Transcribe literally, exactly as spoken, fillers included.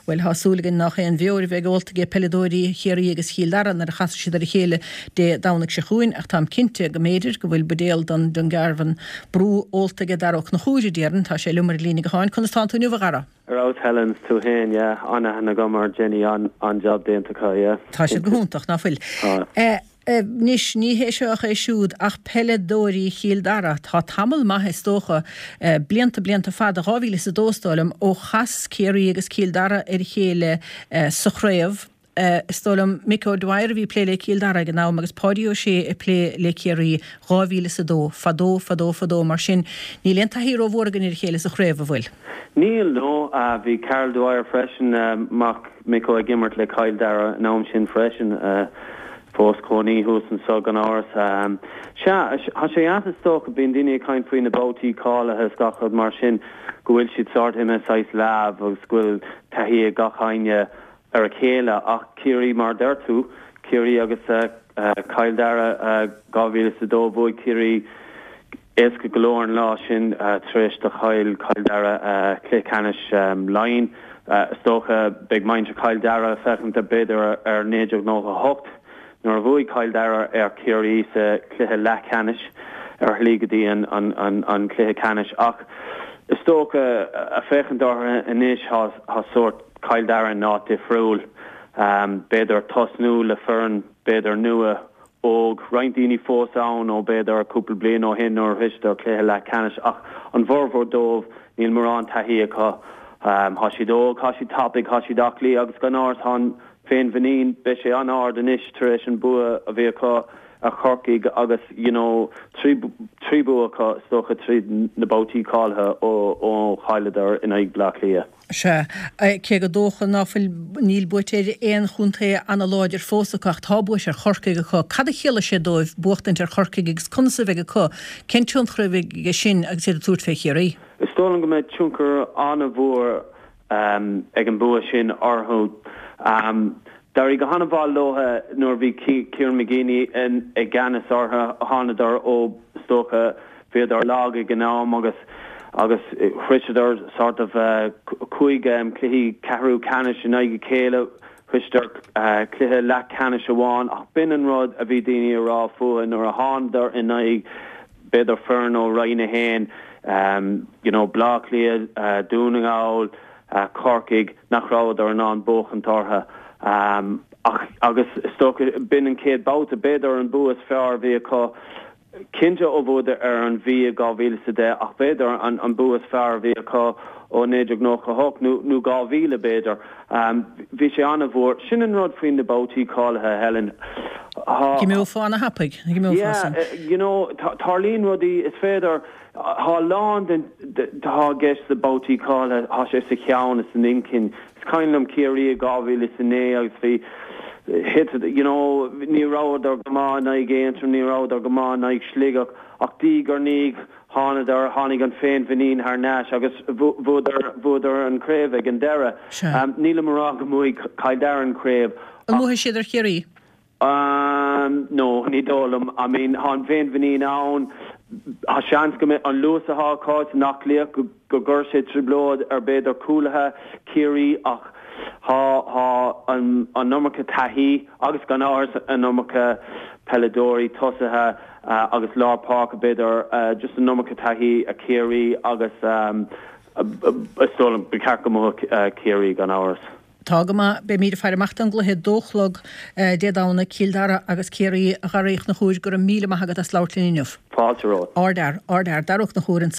Bhuel, tá súil againn nach aon bheoir a bheidh ólta ag peileadóirí Chiarraí agus Chill Dara nuair a chasfaidh siad ar a chéile Dé Domhnaigh seo chugainn, ach táim cinnte go mb'fhéidir go bhfuil buidéal den Dungarvan Brew ólta ag Dara Ó Conchúir, a déarfainn. Tá sé liom ar an líne gutháin. Conas tánn tú inniu, a Dhara? Ar fheabhas Helen, is tú féin, yeah, an-aithne agam ar Jenny, an-jab déanta acu, yeah. Tá siad go hiontach, ná fuil? Tá. Anois, ní hé seo ach é siúd, ach peileadóirí Chill Dara, tá tamall maith is dócha, blianta, blianta fada, dhá mhíle is a dó is dóigh liom, ó chas Ciarraí agus Cill Dara ar a chéile sa chraobh. Is dóigh liom Mick O'Dwyer a bhí ag plé le Cill Dara ag an am agus Páidí Ó Sé ag plé le Ciarraí, dhá mhíle is a dó, fadó, fadó, fadó, mar sin níl aon taithí rómhór againn ar a chéile sa chraobh, an bhfuil? Níl, no. Bhí Karl Dwyer freisin, mac Micko, ag imirt le Cill Dara an am sin freisin. Fós cónaí thuas anso gan amhras. Sea, tá sé deas is dócha, bíonn daoine ag caint faoi na babhtaí cáilithe is gach rud mar sin, go bhfuil siad sórt imithe saghas leamh agus go bhfuil taithí ag gach éinne ar a chéile ach Ciarraí mar a deir tú, Ciarraí agus Cill Dara dhá mhíle is a dó, bhuaigh Ciarraí éasca go leor an lá sin tar éis do Chill Chill Dara cluiche ceannais Laighean. Is dócha beidh muintir Chill Dara ag féachaint b'fhéidir ar naoi déag nócha a hocht nuair a bhuaigh Cill Dara ar Chiarraí sa chluiche leathcheannais ar shlí go dtí an cluiche ceannais ach is dócha ag féachaint orthu anois tá sórt Cill Dara in áit difriúil. B'fhéidir tosnú le foireann b'fhéidir nua óg, roinnt daoine fós ann ó b'fhéidir cúpla bliain ó shin nuair a shroicheadar cluiche leathcheannais ach an bhformhór dóibh níl mórán taithí acu. Tá siad óg, tá siad tapaidh, tá siad aclaí agus gan amhras tá an féinmhuinín, beidh sé an-ard anois tar éis an bua a bhí acu ar Chorcaigh agus you know trí trí bua acu is dócha tríd na babhtaí cáilithe ó ó chailleadar in aghaidh Bleá Cliath. Sea, cé gur dócha ná fuil, níl buaite ar aon chontae ana-láidir fós acu ach tá buaite ar Chorcaigh acu. Cad a chiallaigh sé dóibh buachtaint ar Chorcaigh agus conas a bheidh acu, cén tionchar a bheidh aige sin agus iad ag tabhairt fé Chiarraí? Is dóigh liom go mbeidh tionchar an-mhór ag an bua sin orthu. D'éirigh go han-mhaith leo nuair a bhí Kieran McGeeney i gceannas orthu. Thánadar ó, is dócha, bhíodar lag ag an am agus agus shroicheadar sort of cúig cluichí ceathrú ceannais in aghaidh a chéile. Shroicheadar cluiche leathcheannais amháin ach b'in an rud a bhí daoine a rá fúthu nuair a thánadar in aghaidh b'fhéidir foireann ó Roinn a haon, you know Bleá Cliath, Dún na nGall, Corcaigh, nach rabhadar in ann buachaint orthu. Ach agus is dócha b'in an chéad babhta, b'fhéidir an bua is fearr a bhí acu, cinnte ó bhuadar ar an Mhí i dhá mhíle is a deich ach b'fhéidir an an bua is fearr a bhí acu ó naoi déag nócha a hocht nó nó dhá mhíle b'fhéidir. Bhí sé an-mhór. Sin an rud faoi na babhtaí cáilithe, Helen. Go n-imeofá ana-thapaidh, go n-imeofá san. Yeah, you know, tarlaíonn rudaí, is féidir, tá a lán den, tá i gceist le babhtaí cáilithe, tá sé sa cheann is san inchinn. Is cuimhin liom Ciarraí i dhá mhíle is a naoi agus bhí, hit, you know, ní rabhadar go maith in aghaidh Aontroim, ní rabhadar go maith in aghaidh Sligeach ach diaidh ar ndiaidh thánadar, tháinig an féinmhuinín thar n-ais agus bhuadar, bhuadar an chraobh ag an deireadh. Sea. Nílim a rá go mbuafaidh Cill Dara an chraobh An ach. mbuafaidh siad ar Chiarraí? Umm, no, ní dóigh liom. I mean, tá an féinmhuinín ann. Tá seans go mbeidh an luas atá acu is an aclaíocht go go gcuirfidh sé trioblóid ar b'fhéidir cúlaithe Chiarraí ach tá tá an an iomarca taithí agus gan amhras an iomarca peileadóirí, tosaithe agus lár páirce b'fhéidir just an iomarca taithí ag Ciarraí agus is dóigh liom ba cheart go mbuafadh Ciarraí gan amhras. Tá go maith. Beimid ag faire amach don gcluiche, dó a chlog Dé Domhnaigh, Cill Dara agus Ciarraí. A Dhara Uí Chonchúir, go raibh míle maith agat as labhairt linn inniu. Fáilte romhat. Ardfhear, ardfhear, Dara Ó Conchúir ansan.